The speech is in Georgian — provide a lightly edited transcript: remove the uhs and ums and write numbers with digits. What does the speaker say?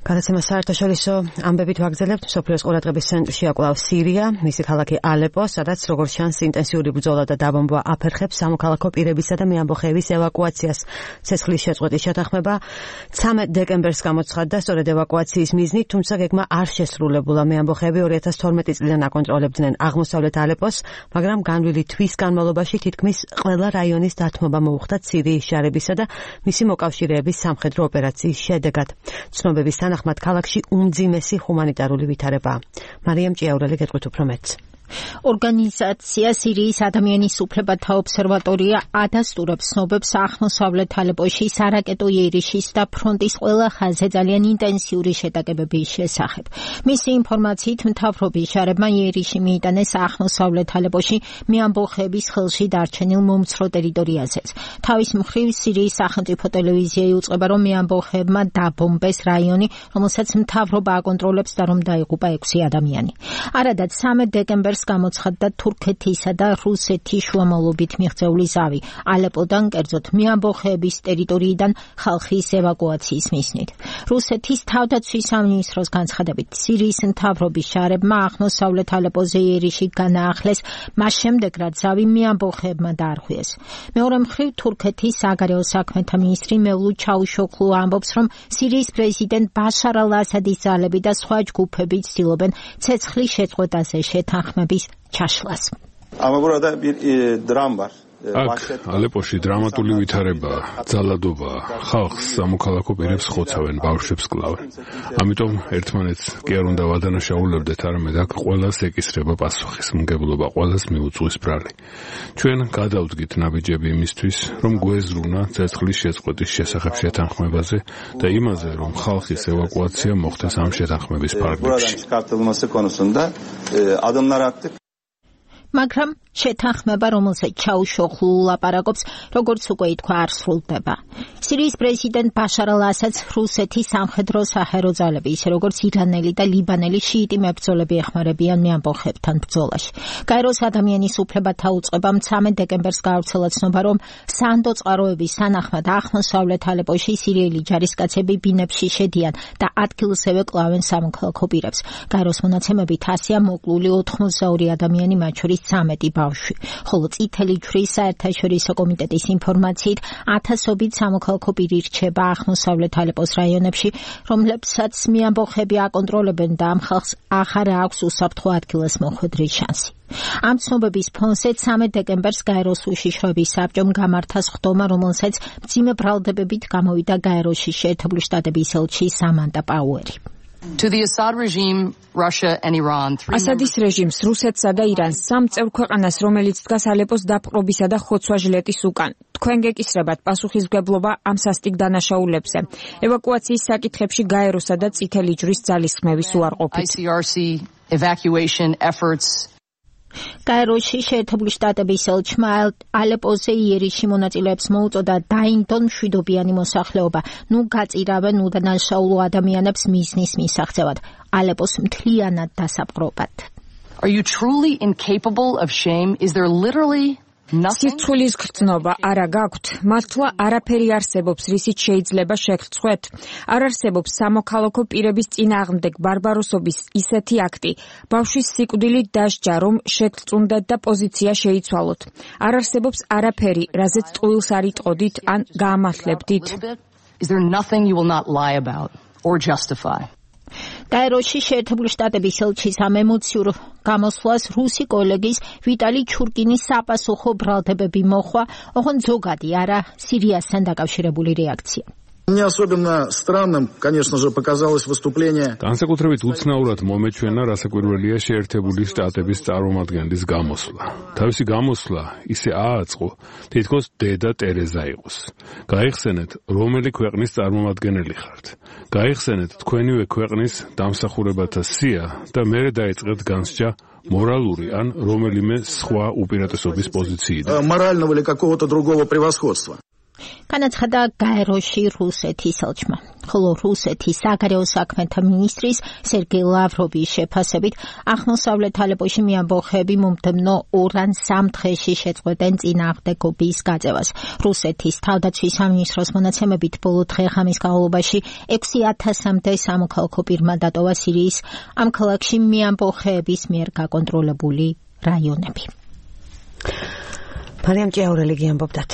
გადაცემა საერთაშორისო ამბებით ვაგრძელებთ. მსოფლიოს ყურადღების ცენტრში აკვლავ სირია, მისი ქალაქი ალეპო, სადაც როგორც ჩანს ინტენსიური ბრძოლა და დაბომბვა აფერხებს სამოქალაქო პირებისა და მეამბოხეების ევაკუაციას. ცეცხლის შეწყვეტის შეთანხმება 13 დეკემბერს გამოცხადდა სწორედ ევაკუაციის მიზნით, თუმცა გეგმა არ შესრულებულა. მეამბოხეები 2012 წლიდან აკონტროლებდნენ აღმოსავლეთ ალეპოს, მაგრამ განვლილი თვის განმავლობაში თითქმის ყველა რაიონის დათმობა მოუხდათ სირიის ჯარებისა და მისი მოკავშირეების სამხედრო ოპერაციის შედეგად. ცნობების თანახმად ქალაქში უმძიმესი ჰუმანიტარული ვითარებაა. მარიამ ჭიაურელი გეტყვით უფრო მეტს. ორგანიზაცია სირიის ადამიანის უფლებათა ობსერვატორია ადასტურებს ცნობებს აღმოსავლეთ ალეპოში სარაკეტო იერიში და ფრონტის ყველა ხაზზე ძალიან ინტენსიური შეტაკებების შესახებ. მისი ინფორმაციით მთავრობის ჯარებმა იერიში მიიტანეს აღმოსავლეთ ალეპოში მეამბოხეების ხელში დარჩენილ მომცრო ტერიტორიაზეც. თავის მხრივ სირიის სახელმწიფო ტელევიზია იუწყება, რომ მეამბოხეებმა დაბომბეს რაიონი, რომელსაც მთავრობა აკონტროლებს და რომ დაიღუპა 6 ადამიანი. არადაც 13 დეკემბერს გამოცხადდა თურქეთისა და რუსეთის შუამავლობით მიღწეული ზავი ალეპოდან, კერძოდ მეამბოხეების ტერიტორიიდან ხალხის ევაკუაციის მიზნით. რუსეთის თავდაცვის სამინისტროს განცხადებით, სირიის მთავრობის ჯარებმა აღმოსავლეთ ალეპოზე იერიში განაახლეს, მას შემდეგ რაც ზავი მეამბოხეებმა დაარღვიეს. მეორე მხრივ თურქეთის საგარეო საქმეთა მინისტრი მევლუდ ჩავუშოღლუ ამბობს, რომ სირიის პრეზიდენტ ბაშარ ალ-ასადის ძალები და სხვა ჯგუფები ცდილობენ ცეცხლის შეწყვეტაზე შეთანხმების ჩაშლას. აქ ალეპოში დრამატული ვითარებაა, ძალადობაა, ხალხს სამოქალაქო პირებს ხოცავენ, ბავშვებს კლავენ. ამიტომ ერთმანეთს კი არ უნდა ვადანაშაულებდეთ, არამედ აქ ყველას ეკისრება პასუხისმგებლობა, ყველას მიუწვის ბრალი. ჩვენ გადავდგით ნაბიჯები იმისთვის, რომ გვეზრუნა ცეცხლის შეწყვეტის შესახებ შეთანხმებაზე და იმაზე, რომ ხალხის ევაკუაცია მოხდეს ამ შეთანხმების ფარგლებში. მაგრამ შეთანხმება, რომელსაც ჩავუშოღლუ ლაპარაკობს, როგორც უკვე ითქვა, არ სრულდება. სირიის პრეზიდენტ ბაშარ ალ-ასადს რუსეთის სამხედრო საჰაერო ძალები, ისე როგორც ირანელი და ლიბანელი შიიტი მებრძოლები ეხმარებიან მეამბოხეებთან ბრძოლაში. გაეროს ადამიანის უფლებათა უწყებამ 13 დეკემბერს გაავრცელა ცნობა, რომ სანდო წყაროების თანახმად აღმოსავლეთ ალეპოში სირიელი ჯარისკაცები ბინებში შედიან და ადგილზევე კლავენ სამოქალაქო პირებს. გაეროს მონაცემებით 100-ია მოკლული 82 ადამიანი, მათ შორის 13 ბავშვი. ხოლო წითელი ჯვრის საერთაშორისო კომიტეტის ინფორმაციით 1000-ობით სამოქალაქო პირი რჩება აღმოსავლეთ ალეპოს რაიონებში, რომლებსაც მეამბოხეები აკონტროლებენ და ამ ხალხს აღარ აქვს უსაფრთხო ადგილას მოხვედრის შანსი. ამ ცნობების ფონზე 13 დეკემბერს გაეროს უშიშროების საბჭომ გამართა სხდომა, რომელსაც მძიმე ბრალდებებით გამოვიდა გაეროში შეერთებული შტატების ელჩი სამანტა პაუერი. ასადის რეჟიმს, რუსეთსა და ირანს, სამ წევრ ქვეყანას, რომელიც დგას ალეპოს დაპყრობისა და ხოცვა-ჟილეტის უკან. თქვენ გეკისრებათ პასუხისმგებლობა ამ სასტიკ დანაშაულებზე. ევაკუაციის საკითხებში გაეროსა და წითელი ჯვრის ძალისხმევის უარყოფით. გაეროში შეერთებული შტატების ელჩმა ალეპოზე მონაწილეებს მოუწოდა დაინდონ მშვიდობიანი მოსახლეობა, ნუ გაწირავენ უდანაშაულო ადამიანებს მიზნის მისაღწევად, ალეპოს მთლიანად დასაპყრობად. Are you truly incapable of shame? Is there literally სირცხვილის გრძნობა არა გაქვთ? მართლა არაფერი არსებობს, რისით შეიძლება შეგრცხვეთ? არ არსებობს სამოქალაქო პირების წინააღმდეგ ბარბაროსობის ისეთი აქტი, ბავშვის სიკვდილით დასჯა, რომ შეგრწუნდეთ და პოზიცია შეიცვალოთ. არ არსებობს არაფერი, რაზეც ტყუილს არ იტყოდით ან გაამართლებდით. Is there nothing you will not lie about or justify? გაეროში შეერთებული შტატების ელჩის ამ ემოციურ გამოსვლას რუსი კოლეგის ვიტალი ჩურკინის საპასუხო ბრალდებები მოხვა, ოღონდ ზოგადი არა სირიასთან დაკავშირებული რეაქცია. Мне особенно странным, конечно же, показалось выступление. განსაკუთრებით უცნაურად მომეჩვენა რასაკვირველია შეერთებული შტატების წარმომადგენლის გამოსვლა. თავისი გამოსვლა ისე ააწყო, თითქოს დედა ტერეზა იყოს. გაიხსენეთ, რომელი ქვეყნის წარმომადგენელი ხართ. გაიხსენეთ თქვენივე ქვეყნის დამსახურებათა სია და მერე დაიწყეთ განსჯა მორალური ან რომელიმე სხვა უპირატესობის პოზიციიდან. Морального или какого-то другого превосходства. განაცხადა გაეროში რუსეთის ელჩმა. ხოლო რუსეთის საგარეო საქმეთა მინისტრის სერგეი ლავროვის შეფასებით აღმოსავლეთ ალეპოში მეამბოხეები მომდევნო 2 ან 3 დღეში შეწყვეტენ წინააღმდეგობის გაწევას. რუსეთის თავდაცვის სამინისტროს მონაცემებით ბოლო დღე-ღამის განმავლობაში 6000-მდე სამოქალაქო პირმა დატოვა სირიის ამ ქალაქში მეამბოხეების მიერ გაკონტროლებული რაიონები. მარიამ ჭიაურელი გიამბობდათ.